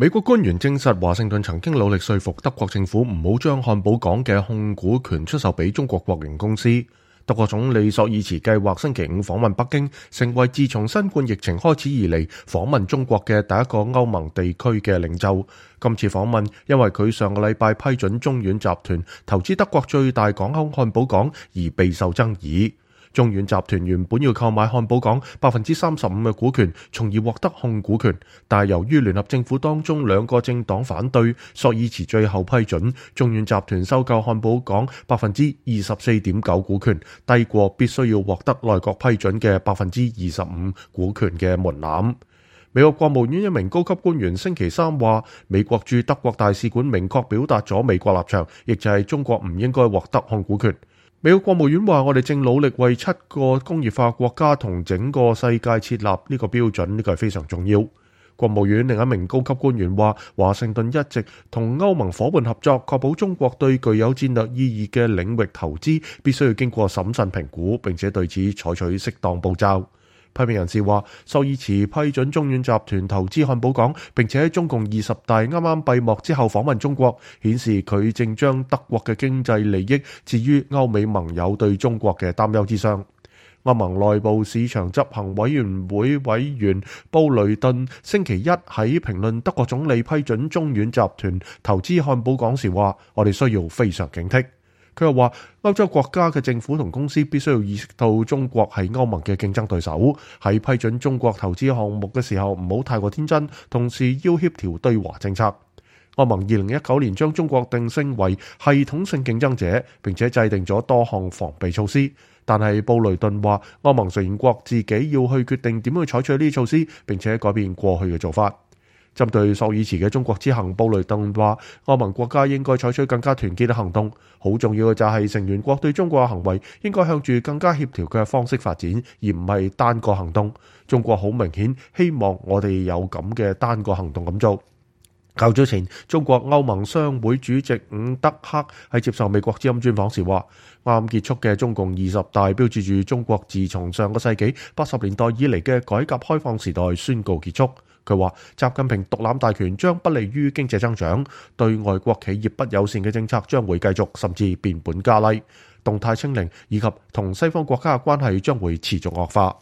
美國官員證實，華盛頓曾經努力說服德國政府唔好將漢堡港嘅控股權出售俾中國國營公司。德國總理朔爾茨計劃星期五訪問北京，成為自從新冠疫情開始以嚟訪問中國嘅第一個歐盟地區嘅領袖。今次訪問因為佢上個禮拜批准中遠集團投資德國最大港口漢堡港而備受爭議。中遠集團原本要購買漢堡港35%嘅股權，從而獲得控股權，但係由於聯合政府當中兩個政黨反對，朔爾茨最後批准中遠集團收購漢堡港24.9%股權，低過必須要獲得內閣批准嘅25%股權嘅門檻。美國國務院一名高級官員星期三話，美國駐德國大使館明確表達咗美國立場，亦就係中國唔應該獲得控股權。美國國務院話，我哋正努力為7個工業化國家同整個世界設立呢個標準，呢個係非常重要。國務院另一名高級官員話，華盛頓一直同歐盟夥伴合作，確保中國對具有戰略意義嘅領域投資必須要經過審慎評估，並且對此採取適當步驟。批評人士話，朔爾茨批准中遠集團投資漢堡港，並且喺中共20大啱啱閉幕之後訪問中國，顯示佢正將德國嘅經濟利益置於歐美盟友對中國嘅擔憂之上。歐盟內部市場執行委員會委員布雷頓星期一喺評論德國總理批准中遠集團投資漢堡港時話，我哋需要非常警惕。佢又話，歐洲國家嘅政府同公司必須要意識到中國係歐盟嘅競爭對手，喺批准中國投資項目嘅時候唔好太過天真，同時要協調對華政策。歐盟2019年將中國定性為系統性競爭者，並且制定咗多項防備措施。但係布雷頓話，歐盟成員國自己要去決定點樣去採取呢啲措施，並且改變過去嘅做法。針對朔爾茨嘅中國之行，布雷頓話，歐盟國家應該採取更加團結嘅行動，好重要嘅就係成員國對中國嘅行為應該向住更加協調嘅方式發展，而唔係單個行動。中國好明顯希望我哋有咁嘅單個行動咁做。較早前，中國歐盟商會主席伍德克喺接受美國之音專訪時話，啱結束嘅中共20大標誌住中國自從上個世紀80年代以嚟嘅改革開放時代宣告結束。佢話，習近平獨攬大權將不利於經濟增長，對外國企業不友善嘅政策將會繼續，甚至變本加厲，動態清零以及同西方國家嘅關係將會持續惡化。